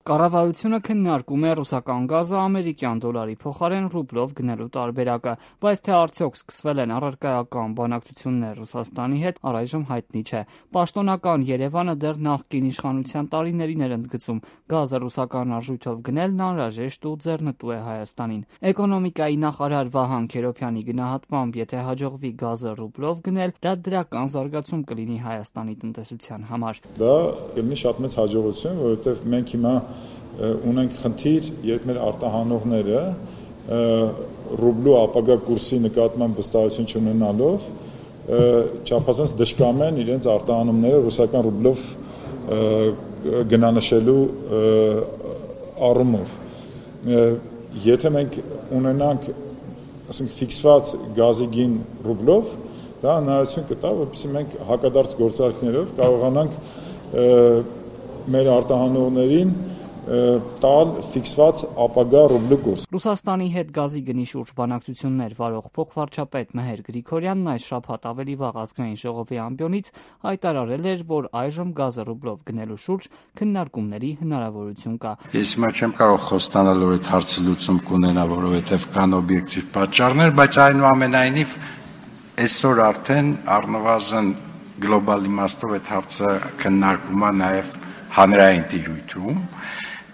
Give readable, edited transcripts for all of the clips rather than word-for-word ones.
Կառավարությունը քննարկում է ռուսական գազը ամերիկյան դոլարի փոխարեն ռուբլով գնելու տարբերակը, բայց թե արդյոք սկսվել են առարկայական բանակցություններ Ռուսաստանի հետ, առայժմ հայտնի չէ։ Պաշտոնական Երևանը դեռ նախկին իշխանության տարիներին էր ընդգծում գազը ռուսական արժույթով գնելն անհրաժեշտ ու ձեռնտու է Հայաստանին։ Էկոնոմիկայի նախարար Վահան Քերոբյանի գնահատմամբ, եթե հաջողվի գազը ռուբլով գնել, դա դրական զարգացում կլինի Հայաստանի տնտեսության համար։ Դա կլինի շատ մեծ հաջողություն, որովհետև մենք հիմա ունենք խնդիր, երբ մեր արտահանողները ռուբլու ապագա կուրսի նկատմամբ վստահություն չունենալով չափազանց դժկամ են իրենց արտահանումները ռուսական ռուբլով գնանշելու առումով։ Եթե մենք ունենանք, ասենք, ֆիքսված գազի գին ռուբլով, դա հնարավորություն կտա, որպեսզի մենք հակադարձ գործարքներով կարողանանք մեր արտահանողներին տալ ֆիքսված ապագա ռուբլու կուրս։ Ռուսաստանի հետ գազի գնի շուրջ բանակցություններ վարող փոխվարչապետ Մեհեր Գրիգորյանն այս շաբաթ ավելի վաղ Ազգային ժողովի ամբիոնից հայտարարել էր, որ այժմ գազը ռուբլով գնելու շուրջ քննարկումների հնարավորություն կա։ Ես հիմա չեմ կարող խոստանալ, որ այդ հարցը լուծում կունենա, որովհետև կան օբյեկտիվ պատճառներ, բայց այնուամենայնիվ այսօր արդեն առնվազն գլոբալ իմաստով այդ հարցը քննարկվում է նաև հանրային տիրույթում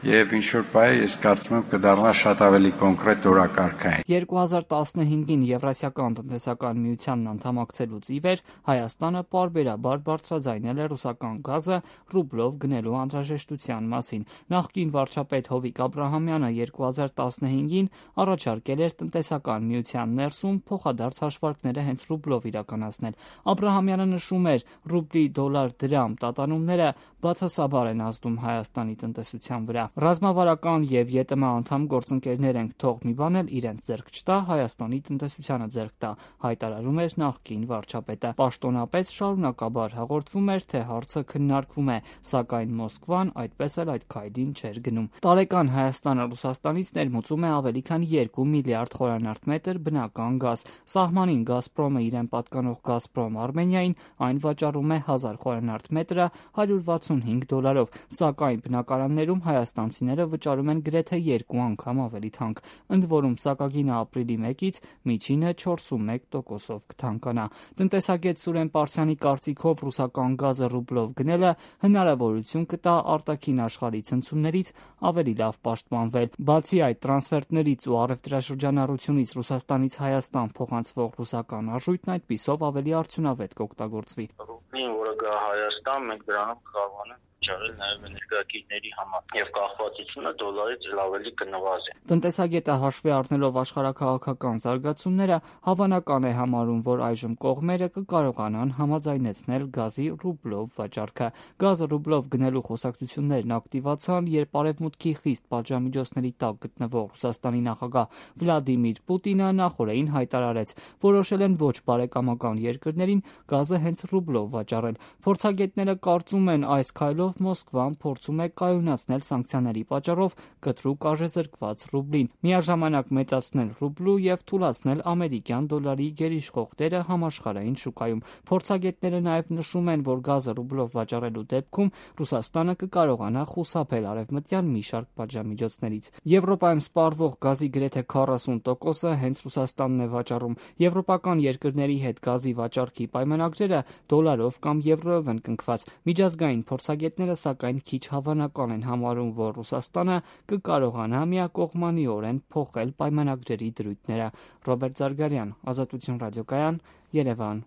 եւ ինչ-որ բայ ես կարծում եմ կդառնա շատ ավելի կոնկրետ օրակարգային։ 2015-ին Եվրասիական տնտեսական միությանն անդամակցելուց ի վեր Հայաստանը պարբերաբար բարձրաձայնել է ռուսական գազը ռուբլով գնելու անհրաժեշտության մասին։ Նախկին վարչապետ Հովիկ Աբրահամյանը 2015-ին առաջարկել էր տնտեսական միության ներսում փոխադարձ հաշվարկները հենց ռուբլով իրականացնել։ Աբրահամյանը նշում էր, ռուբլի դոլար դրամ տատանումները բացասաբար են ազդում Հայաստանի տնտեսության վրա։ Ռազմավարական եւ ԵՏՄ անդամ գործընկերներ ենք, թող մի բան էլ իրենց ձեռք չտա, Հայաստանի տնտեսությանը ձեռք տա, հայտարարում էր նախկին վարչապետը։ Պաշտոնապես շարունակաբար հաղորդվում էր, թե հարցը քննարկվում է, սակայն Մոսկվան այդպես էլ այդ քայլին չէր գնում։ Տարեկան Հայաստանը Ռուսաստանից ներմուծում է ավելի քան 2 միլիարդ խորանարդ մետր բնական գազ։ Սահմանին Գազպրոմը իրեն պատկանող Գազպրոմ Արմենիային այն վաճառում է 1000 խորանարդ մետրը $165, սակայն բնակարաններում հայաստանցիները վճարում են գրեթե 2 անգամ ավելի թանկ։ Ընդ որում սակագինը ապրիլի 1-ից միջինը 41%-ով կթանկանա։ Տնտեսագետ Սուրեն Պարսյանի կարծիքով ռուսական գազը ռուբլով գնելը հնարավորություն կտա արտաքին աշխարհի ցնցումներից ավելի լավ պաշտպանվել։ Բացի այդ, տրանսֆերտներից ու առևտրաշրջանառությունից Ռուսաստանից Հայաստան փոխանցվող ռուսական արժույթն այդպիսով ավելի արդյունավետ կօգտագործվի։ Ռուբլին, որը գա Հայաստան, մենք դրանով կարողանանք վճարել նաև էներգակիրների համար եւ կախվածությունը դոլարից ավելի կնվազի։ Տնտեսագետը հաշվի առնելով աշխարհաքաղաքական զարգացումները հավանական է համարում, որ այժմ կողմերը կկարողանան համաձայնեցնել գազի ռուբլով վաճառքը։ Գազը ռուբլով գնելու խոսակցություններն ակտիվացան, երբ Արևմուտքի խիստ պատժամիջոցների տակ գտնվող Ռուսաստանի նախագահ Վլադիմիր Պուտինը նախօրեին հայտարարեց, որոշել են ոչ բարեկամական երկրներին գազը հենց ռուբլով վաճառել։ Փորձագետները կարծում են, այս քայլով Մոսկվան փորձում է կայունացնել սանկցիաների պատճառով կտրուկ արժեզրկված ռուբլին, միաժամանակ մեծացնել ռուբլու եւ թուլացնել ամերիկյան դոլարի գերիշխող դերը համաշխարհային շուկայում։ Փորձագետները նաեւ նշում են, որ գազը ռուբլով վաճառելու դեպքում Ռուսաստանը կկարողանա խուսափել արևմտյան մի շարք պատժամիջոցներից։ Եվրոպայում սպառվող գազի գրեթե 40%-ը հենց Ռուսաստանն է վաճառում։ Եվրոպական երկրների հետ գազի վաճառքի պայմանագրերը դոլարով կամ եվրոյով են կնքված։ Միջազգային փորձագետները սակայն քիչ հավանական են համարում, որ Ռուսաստանը կկարողանա միակողմանիորեն փոխել պայմանագրերի դրույթները։ Ռոբերտ Զարգարյան, Ազատություն ռադիոկայան, Երևան։